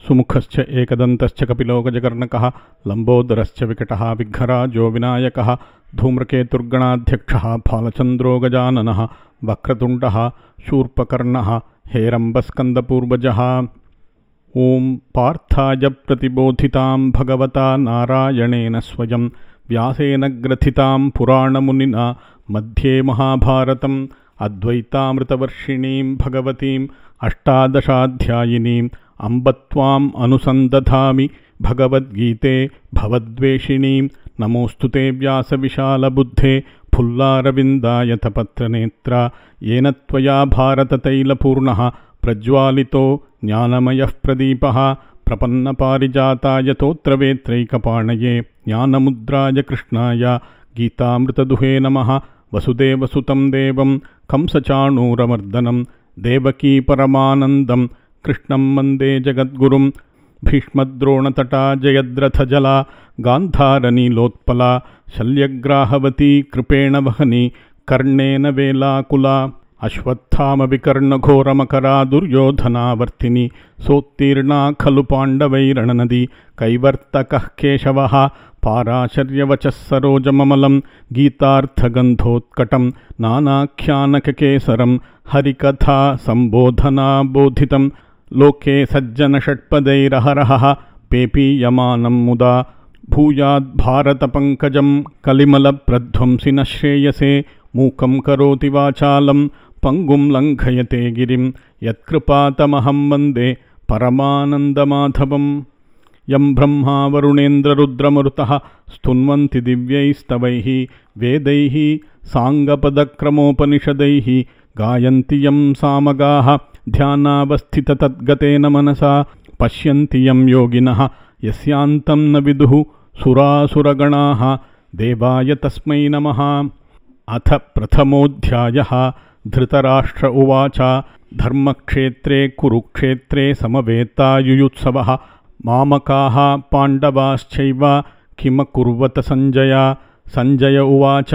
सुमुखश्च एकदन्तश्च कपिलो गजकर्णकः लम्बोदरश्च विकटः विघ्नराजो विनायकः धूम्रकेतुर्गणाध्यक्षः फालचन्द्रो गजाननः वक्रतुण्डः शूर्पकर्णः हेरम्बस्कन्दपूर्वजः। ॐ पार्थाय प्रतिबोधितां भगवता नारायणेन स्वयं व्यासेन ग्रथितां पुराणमुनिना मध्ये महाभारतम् अद्वैतामृतवर्षिणीं भगवतीम् अष्टादशाध्यायिनीम् अम्ब त्वाम् अनुसन्दधामि भगवद्गीते भवद्वेषिणीं। नमोऽस्तु ते व्यासविशालबुद्धे फुल्लारविन्दायतपत्रनेत्रा येन त्वया भारततैलपूर्णः प्रज्वालितो ज्ञानमयः प्रदीपः। प्रपन्नपारिजाताय तोत्रवेत्रैकपाणये ज्ञानमुद्राय कृष्णाय गीतामृतदुहे नमः। वसुदेवसुतं देवं कंसचाणूरमर्दनं देवकी परमानन्दं कृष्णं वन्दे जगद्गुरुं। भीष्मद्रोणतटा जयद्रथजला गान्धारनीलोत्पला शल्यग्राहवती कृपेण वहनी कर्णेन वेलाकुला। अश्वत्थामविकर्णघोरमकरा दुर्योधनावर्तिनी सोत्तीर्णा खलु पाण्डवैरणनदी कैवर्तकः केशवः। पाराशर्यवचः सरोजममलं गीतार्थगन्धोत्कटं नानाख्यानककेसरं हरिकथा सम्बोधनाबोधितं लोके सज्जनषट्पदैरहरहः पेपीयमानं मुदा। भूयाद्भारतपङ्कजं कलिमलप्रध्वंसि न श्रेयसे मूकं करोति वाचालं पङ्गुं लङ्घयते गिरिं यत्कृपातमहं वन्दे परमानन्दमाधवम्। यं ब्रह्मा वरुणेन्द्ररुद्रमरुतः स्तुन्वन्ति दिव्यैस्तवैः वेदैः साङ्गपदक्रमोपनिषदैः गायन्ति यं सामगाः ध्यानावस्थिततद्गतेन मनसा पश्यन्ति यं योगिनः यस्यान्तं न विदुः सुरासुरगणाः देवाय तस्मै नमः। अथ प्रथमोऽध्यायः। धृतराष्ट्र उवाच धर्मक्षेत्रे कुरुक्षेत्रे समवेतायुयुत्सवः मामकाः पाण्डवाश्चैव किमकुर्वत सञ्जय। सञ्जय उवाच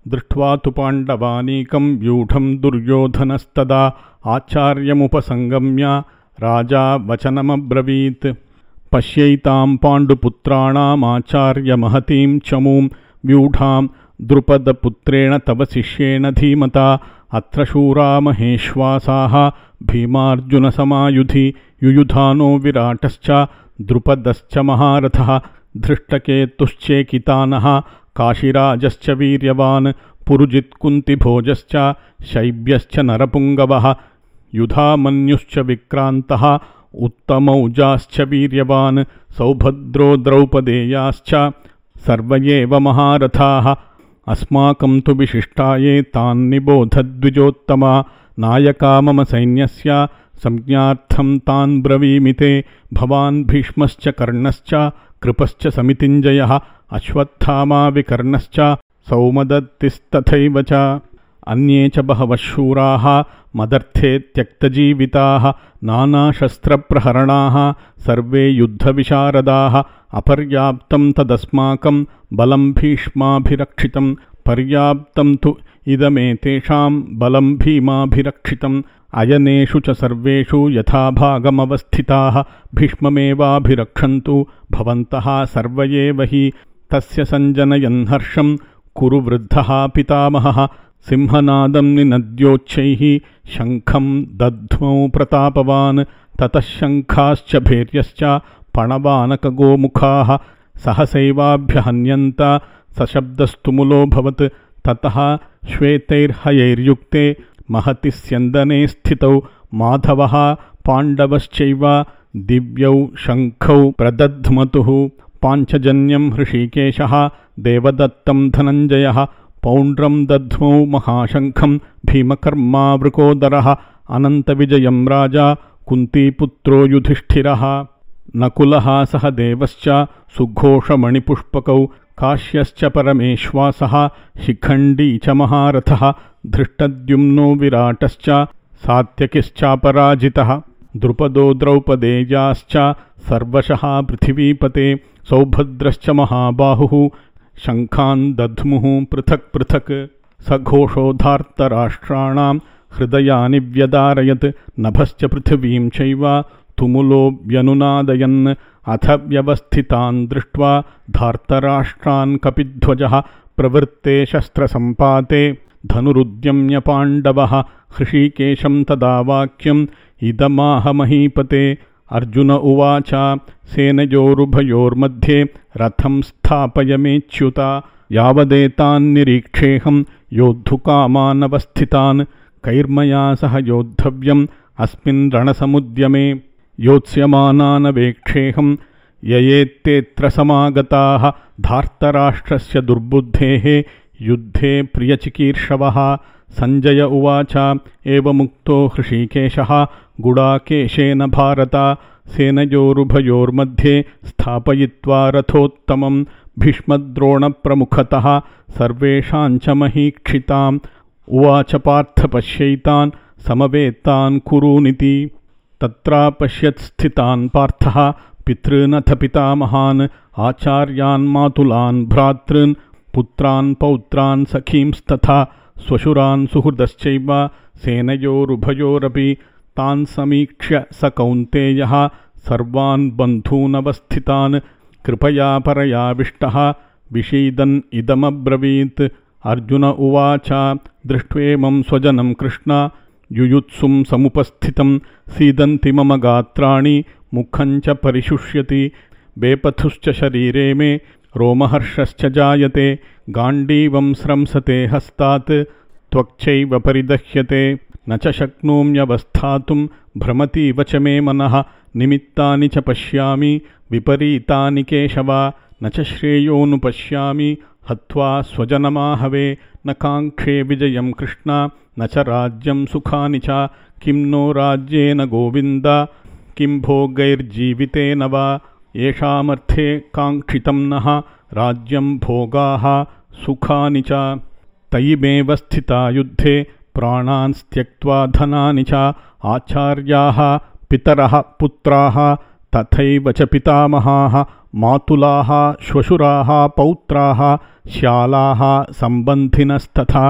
दृष्ट्वा तु पाण्डवानीकं व्यूढं दुर्योधनस्तदा आचार्यमुपसङ्गम्य राजा वचनमब्रवीत्। पश्यैतां पाण्डुपुत्राणामाचार्यमहतीं चमूं व्यूढां द्रुपदपुत्रेण तव शिष्येण धीमता। अत्र शूरा महेश्वासाः भीमार्जुनसमायुधि युयुधानो विराटश्च द्रुपदश्च महारथः धृष्टकेतुश्चेकितानः काशिराजश्च वीर्यवान् पुरुजित्कुन्तिभोजश्च शैब्यश्च नरपुङ्गवः युधामन्युश्च विक्रान्तः उत्तमौजाश्च वीर्यवान् सौभद्रो द्रौपदेयाश्च सर्व एव महारथाः। अस्माकं तु विशिष्टाये तान्निबोधद्विजोत्तमा नायका मम सैन्यस्य संज्ञार्थं तान् ब्रवीमि ते। भवान् भीष्मश्च कर्णश्च कृपश्च समितिञ्जयः अश्वत्थामा विकर्णश्च सौमदत्तिस्तथैव च अन्ये च बहवः शूराः मदर्थे त्यक्तजीविताः नानाशस्त्रप्रहरणाः सर्वे युद्धविशारदाः। अपर्याप्तं तदस्माकं बलं भीष्माभिरक्षितं पर्याप्तं तु इदमेतेषां बलं भीमाभिरक्षितम्। अयनेषु च सर्वेषु यथाभागमवस्थिताः भीष्ममेवाभिरक्षन्तु भवन्तः सर्व एव हि। तस्य सञ्जनयन् हर्षं कुरु वृद्धः पितामहः सिंहनादं निनद्योच्चैः शङ्खं दध्मौ प्रतापवान्। ततः शङ्खाश्च भैर्यश्च पणवानकगोमुखाः सहसैवाभ्यहन्यन्त सशब्दस्तुमुलोऽभवत्। ततः श्वेतैर्हयैर्युक्ते महति स्यन्दने स्थितौ माधवः पाण्डवश्चैव दिव्यौ शङ्खौ प्रदध्मतुः। पाञ्चजन्यं हृषीकेशः देवदत्तं धनञ्जयः पौण्ड्रं दध्मौ महाशङ्खं भीमकर्मा वृकोदरः अनन्तविजयं राजा कुन्तीपुत्रो युधिष्ठिरः। नकुलः सह देवश्च सुघोषमणिपुष्पकौ काश्यश्च परमेश्वासः शिखण्डी च महारथः धृष्टद्युम्नो विराटश्च सात्यकिश्चापराजितः द्रुपदो द्रौपदेयाश्च सर्वशः पृथिवीपते सौभद्रश्च महाबाहुः शङ्खान् दध्मुः पृथक् पृथक्। सघोषोधार्तराष्ट्राणां हृदयानि व्यदारयत् नभश्च पृथिवीं चैव तुमुलो व्यनुनादयन् अथ व्यवस्थितान् दृष्ट्वा धार्तराष्ट्रान् कपिध्वजः प्रवृत्ते शस्त्रसम्पाते धनुरुद्यम्य पाण्डवः हृषीकेशं तदा वाक्यम् इदमाह महीपते। अर्जुन उवाच सेनयोरुभयोर्मध्ये रथं स्थापयमेच्युता यावदेतान् निरीक्षेऽहं योद्धुकामानवस्थितान् कैर्मया सह योद्धव्यम् अस्मिन् रणसमुद्यमे योत्स्यमानानवेक्षेऽहं ययेत्तेऽत्र समागताः धार्तराष्ट्रस्य दुर्बुद्धेः युद्धे प्रियचिकीर्षवः। सञ्जय उवाच एवमुक्तो हृषीकेशः गुडाकेशेन भारत सेनयोरुभयोर्मध्ये स्थापयित्वा रथोत्तमं भीष्मद्रोणप्रमुखतः सर्वेषां च महीक्षिताम् उवाच पार्थ पश्यैतान् समवेतान् कुरूनिति। तत्रापश्यत् स्थितान् पार्थः पितॄनथ पितामहान् आचार्यान् मातुलान् भ्रातॄन् पुत्रान् पौत्रान् सखींस्तथा स्वशुरान् सुहृदश्चैव सेनयोरुभयोरपि तान् समीक्ष्य स कौन्तेयः सर्वान् बन्धूनवस्थितान् कृपया परयाविष्टः विषीदन् इदमब्रवीत्। अर्जुन उवाच दृष्ट्वेमं स्वजनं कृष्ण युयुत्सुं समुपस्थितं सीदन्ति मम गात्राणि मुखं च परिशुष्यति बेपथुश्च शरीरे मे रोमहर्षश्च जायते गाण्डीवं स्रंसते हस्तात् त्वक्चैव परिदह्यते न च शक्नोम्यवस्थातुं भ्रमतीव च मे मनः निमित्तानि च पश्यामि विपरीतानि केशव न च श्रेयोऽनुपश्यामि हत्वा स्वजनमाहवे न काङ्क्षे विजयं कृष्ण न च राज्यं सुखानि च किं नो राज्येन गोविन्द किं भोगैर्जीवितेन वा येषामर्थे काङ्क्षितं नः राज्यं भोगाः सुखानि च तयिमेव स्थिता युद्धे प्राणान् त्यक्त्वा धनानि च आचार्याः पितरः पुत्राः तथैव च पितामहाः मातुलाः श्वशुराः पौत्राः श्यालाः सम्बन्धिनस्तथा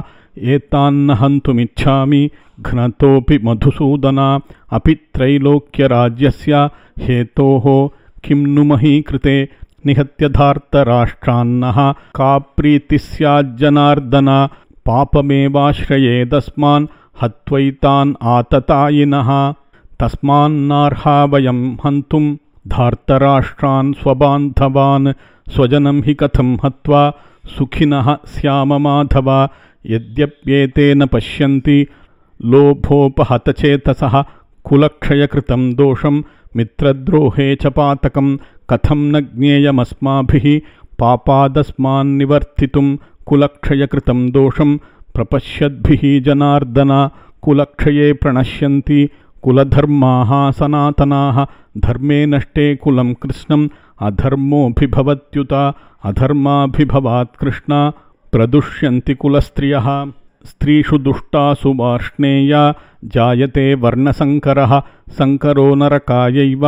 एतान्न हन्तुमिच्छामि घ्नतोऽपि मधुसूदन अपि त्रैलोक्यराज्यस्य हेतोः किं नु महीकृते निहत्य धार्तराष्ट्रान्नः का प्रीतिः स्याज्जनार्दन पापमेवाश्रयेदस्मान् हत्वैतान् आततायिनः तस्मान्नार्हा वयं हन्तुं धार्तराष्ट्रान् स्वबान्धवान् स्वजनं हि कथं हत्वा सुखिनः स्याम माधव यद्यप्येतेन पश्यन्ति लोभोपहतचेतसः कुलक्षयकृतं दोषं मित्रद्रोहे च पातकं कथं न ज्ञेयमस्माभिः पापादस्मान्निवर्तितुं कुलक्षयकृतं दोषं प्रपश्यद्भिः जनार्दन कुलक्षये प्रणश्यन्ति कुलधर्माः सनातनाः धर्मे नष्टे कुलं कृष्णम् अधर्मोऽभिभवत्युत अधर्माभिभवात् कृष्ण प्रदुष्यन्ति कुलस्त्रियः स्त्रीषु दुष्टासु वार्ष्णेया जायते वर्णसङ्करः सङ्करो नरकायैव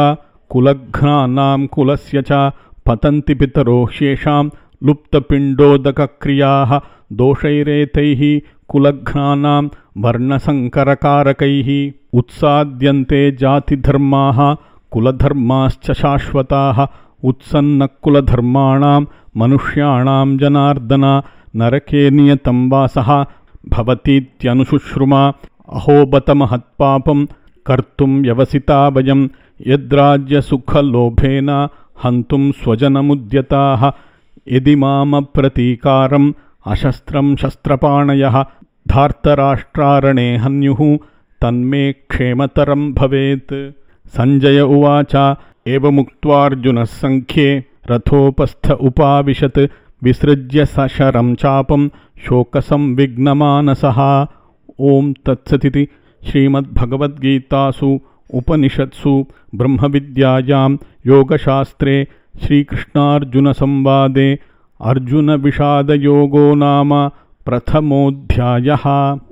कुलघ्नानां कुलस्य च पतन्ति पितरो ह्येषां लुप्तपिण्डोदकक्रियाः दोषैरेतैः कुलघ्नानां वर्णसङ्करकारकैः उत्साद्यन्ते जातिधर्माः कुलधर्माश्च शाश्वताः उत्सन्नकुलधर्माणां मनुष्याणां जनार्दन नरके नियतं वासः भवतीत्यनुशुश्रुमा अहो बत महत्पापं कर्तुं व्यवसिता वयं यद्राज्यसुखलोभेन हन्तुं स्वजनमुद्यताः यदि मामप्रतीकारम् अशस्त्रं शस्त्रपाणयः धार्तराष्ट्रारणे हन्युः तन्मे क्षेमतरं भवेत्। सञ्जय उवाच एवमुक्त्वार्जुनः सङ्ख्ये रथोपस्थ उपाविशत् विसृज्य सशरं चापं शोकसंविघ्नमानसः। ॐ तत्सदिति श्रीमद्भगवद्गीतासु उपनिषत्सु ब्रह्मविद्यायां योगशास्त्रे श्रीकृष्णार्जुनसंवादे अर्जुनविषादयोगो नाम प्रथमोऽध्यायः।